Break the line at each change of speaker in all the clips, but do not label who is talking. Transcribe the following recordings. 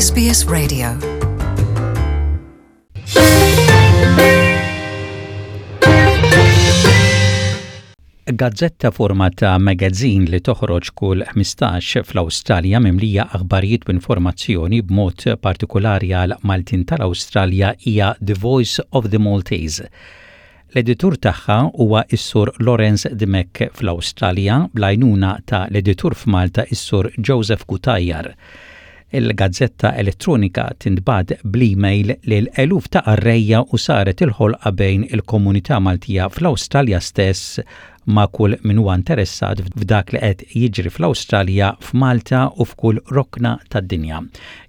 SBS Radio. Gazzetta forma ta' magazine li toħroġ kull 15 fl-Awstralja mimlija aħbarijiet u informazzjoni b'mod partikulari għal Maltin tal-Awstralja hija The Voice of the Maltese. L-editur tagħha huwa s-Sur Lawrence Dimech fl-Awstralja, bl-għajnuna ta' l-editur f'Malta s-Sur Joseph Cutajar. Il-gazzetta elettronika tintbagħat bl-email lil eluf ta' qarrejja u saret il-ħolqa bejn il-komunità Maltija fl-Awstralja stess ma' kull min huwa interessat f'dak li qed jiġri fl-Awstralja, f'Malta u f'kull rokna tad-dinja.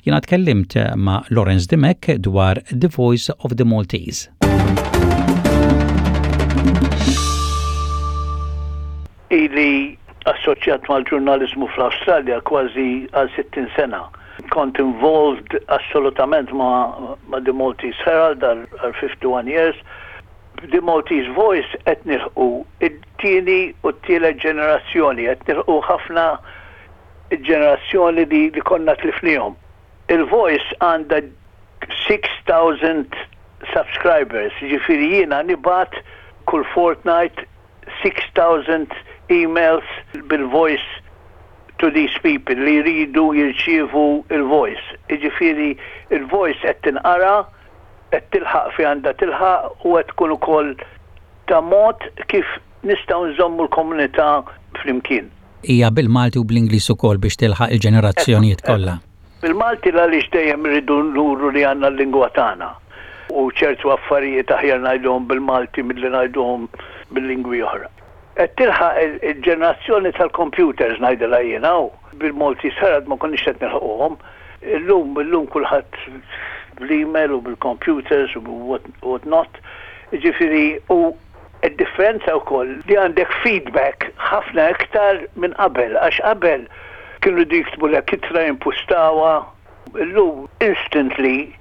Jiena tkellimt ma' Lawrence Dimech dwar The Voice of the Maltese.
Ili assoċjat mal-ġurnaliżmu fl-Awstralja kważi għal 60 sena. Kont involved assolutament ma', ma The Maltese Herald għal 51 years. The Maltese Voice qed nilħqu it-tieni u t-tielet ġenerazzjoni, qed nilħqu ħafna il-ġenerazzjoni li, li konna tlifnihom. Il-Voice għandha 6,000 subscribers, jiġifieri jiena nibgħat kull fortnight 6,000 emails bil-Voice to these people li jridu jirċievu il-Voice. Jiġifieri il-Voice qed tinqara, qed tilħaq fejn għandha tilħaq u qed tkun ukoll ta' mod kif nistgħu nżommu l-komunità flimkien.
Hija bil-Malti u bl-Ingliż ukoll biex tilħaq il-ġenerazzjonijiet kollha.
Bil-Malti l-għaliex dejjem irridu nuru li għandna l-lingwa tagħna u ċertu affarijiet aħjar ngħiduhom bil-Malti milli ngħiduhom bil-lingwi oħra. Qed tilħaq il-ġenerazzjoni tal-computers ngħidilha jiena u bil-Maltese Herald ma konniex qed nilħquhom. Illum illum kulħadd bl-email u bil-computers u what not. Jiġifieri u Id-differenza wkoll li għandek feedback ħafna iktar minn qabel għax qabel kienu jridu jiktbulek ittra jimpustawha, illum instantly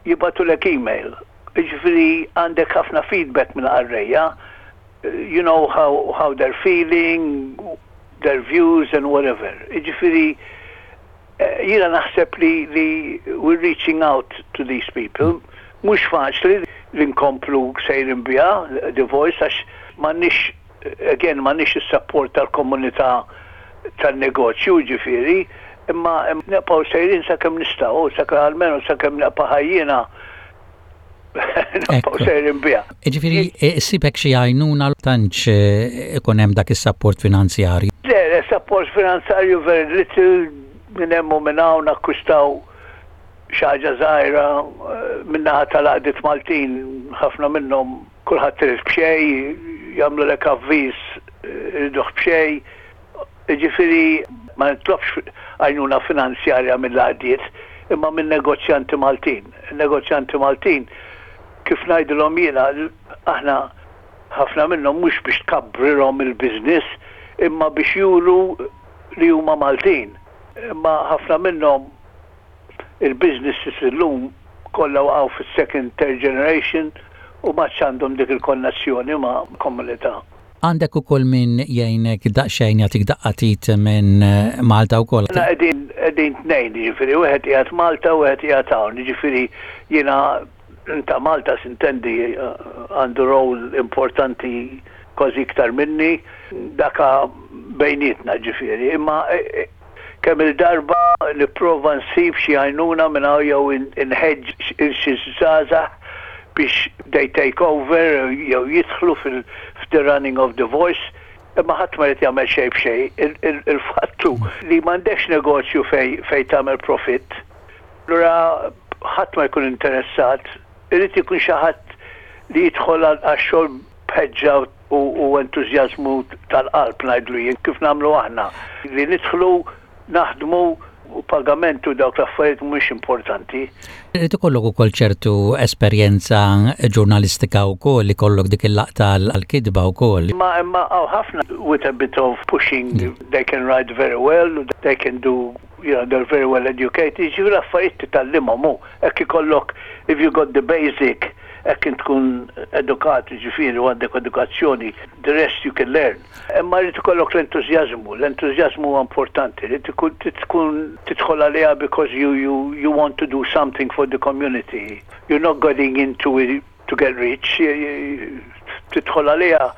jibagħtulek email. Jiġifieri għandek ħafna feedback mill-qarrejja, you know how, how they're feeling, their views and whatever. Jiġifieri Jiena naħseb li li we're reaching out to these people. Mhux faċli li nkomplu sejrin biha The Voice għax m'għandniex again m'għandniex is-support tal-komunità tan-negozju jiġifieri, imma nibqgħu sejrin sakemm nistgħu, sakemm almenu sakemm nibqa' ħaj jiena Nibqgħu sejrin biha.
Jiġifieri issibek xi għajnuna tantx eh, ikun hemm dak is-sapport finanzjarju.
Le, le, support finanzjarju very little minn hemm u minn hawn akkwistaw xi ħaġa żgħira eh, min-naħa tal-għaqdiet Maltin ħafna minnhom kulħadd irid b'xejn, jagħmlulek avviż eh, iriduh b'xejn. Jiġifieri ma nitlobx għajnuna finanzjarja mill-għaqdiet imma min-negozjanti Maltin. In-negozjanti Maltin kif ngħidilhom jiena aħna ħafna minnhom mhux biex tkabbrilhom il-business imma biex juru li huma Maltin. Imma ħafna minnhom il-businesses illum kollha waqgħu fis-second, third generation u m'għadx għandhom dik il-konnessjoni ma' komunità.
Għandek ukoll min jgħinek daqsxejn jagħtik daqqa t'id minn Malta wkoll.
Aħna qegħdin qegħdin tnejn, jiġifieri wieħed qiegħed Malta u wieħed qiegħed hawn, jiġifieri jiena ta' Malta sintendi għandu role importanti kważi iktar minni, daka bejnietna ġifieri, imma Kemm-il darba nipprova nsib xi għajnuna minn hawn jew inħeġġeġ 'il xi żgħażagħ biex they take over jew jidħlu fil-the running of the voice, imma ħadd ma jrid jagħmel xejn b'xejn. Il-fatt hu li m'għandekx negozju fejn tagħmel profitt, allura ħadd ma jkun interessat. Irid ikun xi ħadd li jidħol għax-xogħol b'ħeġġa u entużjażmu tal-qalb ngħidlu jien, kif nagħmlu aħna, li nidħlu, naħdmu u pagament u dawk l-affarijiet mhumiex importanti.
Irid ikollok ukoll ċertu esperjenza ġurnalistika wkoll, ikollok dik il-laqta għall-kitba wkoll.
Imma imma hawn ħafna with a bit of pushing they can write very well, they can do. you know, they're very well educated, jiġifieri affarijiet titgħallimhom hu, hekk ikollok if you got the basic, hekk int tkun edukat, jiġifieri u għandek edukazzjoni, the rest you can learn. Imma jrid ikollok l-entużjażmu, l-entużjażmu huwa importanti, li tkun tidħol għaliha because you, you, you want to do something for the community. You're not getting into it to get rich, tidħol għaliha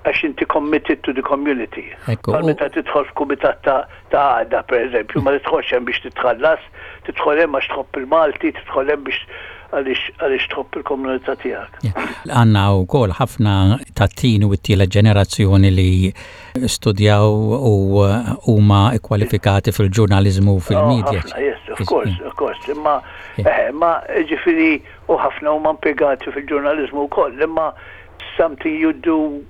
għax inti committed to the community. Bħal meta tidħol f'kumitat ta' għaqda, per eżempju, ma tidħolx hemm biex titħallas, tidħol hemm għax tħobb il-Malti, tidħol hemm biex għaliex tħobb il-komunità tiegħek.
Għandna wkoll ħafna tat-tieni u t-tielet ġenerazzjoni li studjaw u huma kwalifikati fil-ġurnaliżmu u fil-media.
Oh, yes, of course, of course. Imma, eh, ma ġifieri u ħafna huma impjegati fil-ġurnaliżmu wkoll, imma something you do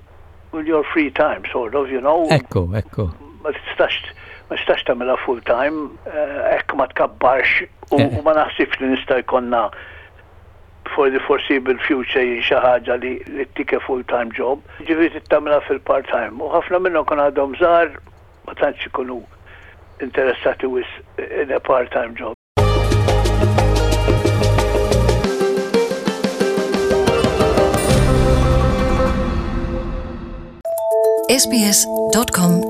in your free time, sort of, you know.
Ekku, ekku.
Ma tistax ma tistax tagħmilha full time, eh, hekk ma tkabbarx u eh. ma naħsibx li nista' jkollna for the foreseeable future jien xi ħaġa li li ttik full time job. Ġifieri trid tagħmilha fil-part time. U ħafna minnhom kun għadhom żgħar ma tantx ikunu interessati wisq in a part time job.
sbs.com.au.